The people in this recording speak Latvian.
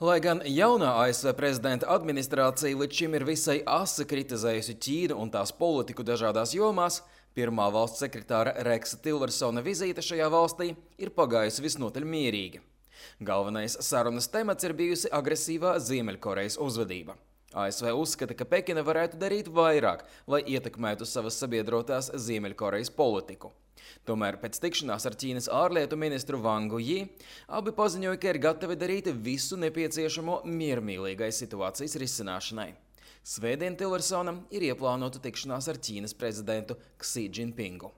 Lai gan jaunā ASV prezidenta administrācija līdz šim ir visai asi kritizējusi Ķīnu un tās politiku dažādās jomās, pirmā valsts sekretāra Reksa Tillersona vizīte šajā valstī ir pagājusi visnotaļ mierīgi. Galvenais sarunas temats ir bijusi agresīvā Ziemeļkorejas uzvedība. ASV uzskata, ka Pekina varētu darīt vairāk, lai ietekmētu savas sabiedrotās Ziemeļkorejas politiku. Tomēr pēc tikšanās ar Ķīnas ārlietu ministru Vangu Ji abi paziņoja, ka ir gatavi darīt visu nepieciešamo miermīlīgai situācijas risināšanai. Svētdien Tillersonam ir ieplānota tikšanās ar Ķīnas prezidentu Ksi Džinpingu.